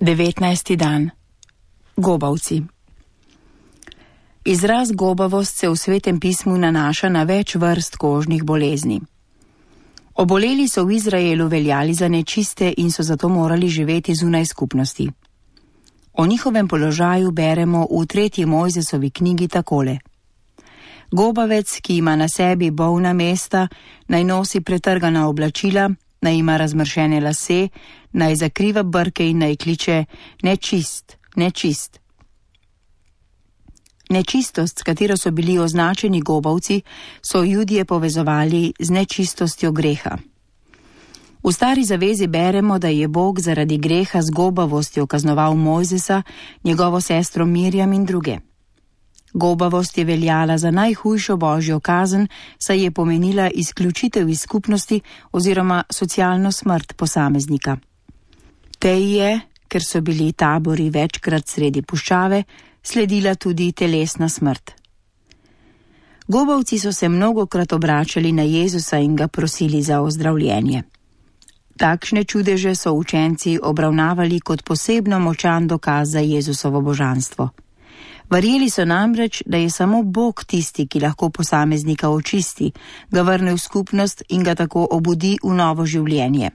19. dan. Gobavci. Izraz gobavost se v Svetem pismu nanaša na več vrst kožnih bolezni. Oboleli so v Izraelu veljali za nečiste in so zato morali živeti zunaj skupnosti. O njihovem položaju beremo v 3. Mojzesovi knjigi takole. Gobavec, ki ima na sebi bolna mesta, naj nosi pretrgana oblačila, naj ima razmršene lase, naj zakriva brke in naj kliče nečist, nečist. Nečistost, s katero so bili označeni gobavci, so Judije povezovali z nečistostjo greha. V Stari zavezi beremo, da je Bog zaradi greha z gobavostjo kaznoval Mojzesa, njegovo sestro Mirjam in druge. Gobavost je veljala za najhujšo božjo kazen, saj je pomenila izključitev iz skupnosti oziroma socialno smrt posameznika. Tej je, ker so bili tabori večkrat sredi puščave, sledila tudi telesna smrt. Gobavci so se mnogokrat obračali na Jezusa in ga prosili za ozdravljenje. Takšne čudeže so učenci obravnavali kot posebno močan dokaz za Jezusovo božanstvo. Verjeli so namreč, da je samo Bog tisti, ki lahko posameznika očisti, ga vrne v skupnost in ga tako obudi v novo življenje.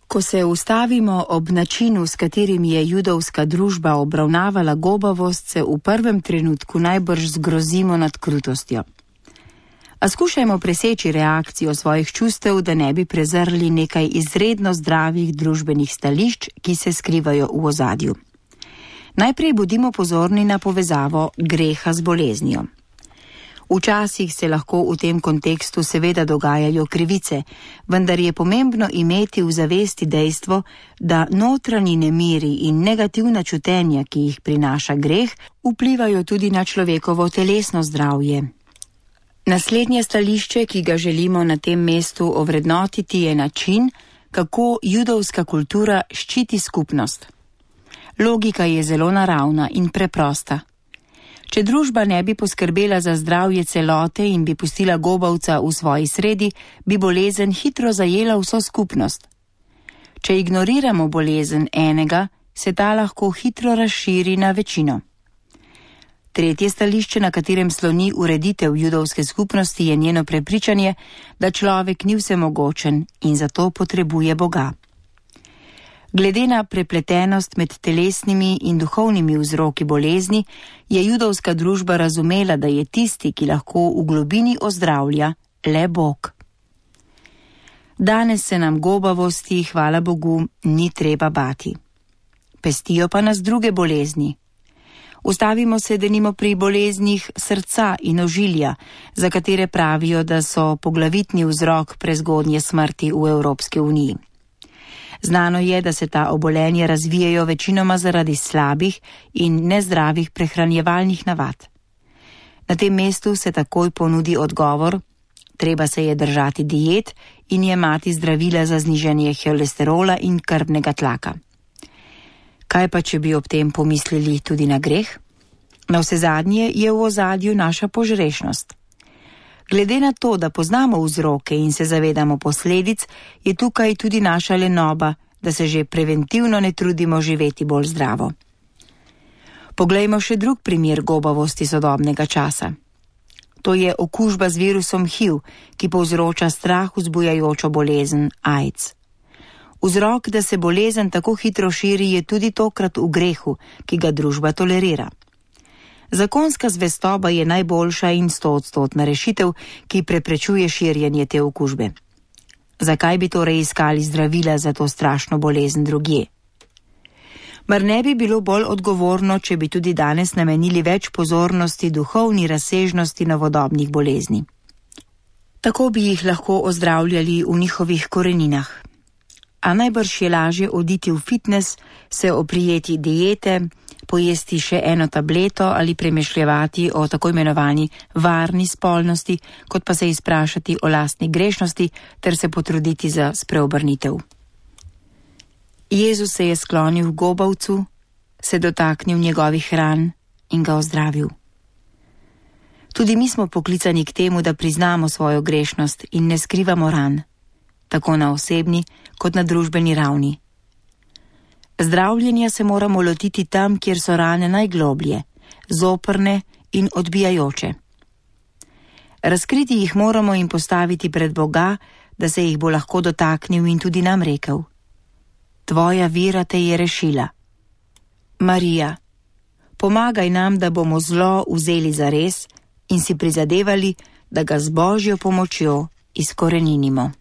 Ko se ustavimo ob načinu, s katerim je judovska družba obravnavala gobavost, se v prvem trenutku najbrž zgrozimo nad krutostjo. A skušajmo preseči reakcijo svojih čustev, da ne bi prezrli nekaj izredno zdravih družbenih stališč, ki se skrivajo v ozadju. Najprej bodimo pozorni na povezavo greha z boleznijo. Včasih se lahko v tem kontekstu seveda dogajajo krivice, vendar je pomembno imeti v zavesti dejstvo, da notranji nemiri in negativna čutenja, ki jih prinaša greh, vplivajo tudi na človekovo telesno zdravje. Naslednje stališče, ki ga želimo na tem mestu ovrednotiti, je način, kako judovska kultura ščiti skupnost. Logika je zelo naravna in preprosta. Če družba ne bi poskrbela za zdravje celote in bi pustila gobavca v svoji sredi, bi bolezen hitro zajela vso skupnost. Če ignoriramo bolezen enega, se ta lahko hitro razširi na večino. Tretje stališče, na katerem sloni ureditev judovske skupnosti, je njeno prepričanje, da človek ni vsemogočen in zato potrebuje Boga. Glede na prepletenost med telesnimi in duhovnimi vzroki bolezni, je judovska družba razumela, da je tisti, ki lahko v globini ozdravlja, le Bog. Danes se nam gobavosti, hvala Bogu, ni treba bati. Pestijo pa nas druge bolezni. Ustavimo se denimo pri boleznih srca in ožilja, za katere pravijo, da so poglavitni vzrok prezgodnje smrti v Evropski uniji. Znano je, da se ta obolenja razvijajo večinoma zaradi slabih in nezdravih prehranjevalnih navad. Na tem mestu se takoj ponudi odgovor, treba se je držati diet in jemati zdravila za znižanje holesterola in krvnega tlaka. Kaj pa, če bi ob tem pomislili tudi na greh? Navsezadnje je v ozadju naša požrešnost. Glede na to, da poznamo vzroke in se zavedamo posledic, je tukaj tudi naša lenoba, da se že preventivno ne trudimo živeti bolj zdravo. Poglejmo še drug primer gobavosti sodobnega časa. To je okužba z virusom HIV, ki povzroča strah vzbujajočo bolezen AIDS. Vzrok, da se bolezen tako hitro širi, je tudi tokrat v grehu, ki ga družba tolerira. Zakonska zvestoba je najboljša in 100-odstotna rešitev, ki preprečuje širjenje te okužbe. Zakaj bi torej iskali zdravila za to strašno bolezen drugje? Mar ne bi bilo bolj odgovorno, če bi tudi danes namenili več pozornosti duhovni razsežnosti novodobnih bolezni? Tako bi jih lahko ozdravljali v njihovih koreninah. A najbrž je lažje oditi v fitness, se oprijeti diete, pojesti še eno tableto ali premišljevati o tako imenovani varni spolnosti, kot pa se izprašati o lastni grešnosti ter se potruditi za spreobrnitev. Jezus se je sklonil k gobavcu, se dotaknil njegovih ran in ga ozdravil. Tudi mi smo poklicani k temu, da priznamo svojo grešnost in ne skrivamo ran, tako na osebni kot na družbeni ravni. Zdravljenja se moramo lotiti tam, kjer so rane najgloblje, zoprne in odbijajoče. Razkriti jih moramo in postaviti pred Boga, da se jih bo lahko dotaknil in tudi nam rekel: Tvoja vera te je rešila. Marija, pomagaj nam, da bomo zlo vzeli zares in si prizadevali, da ga z Božjo pomočjo izkoreninimo.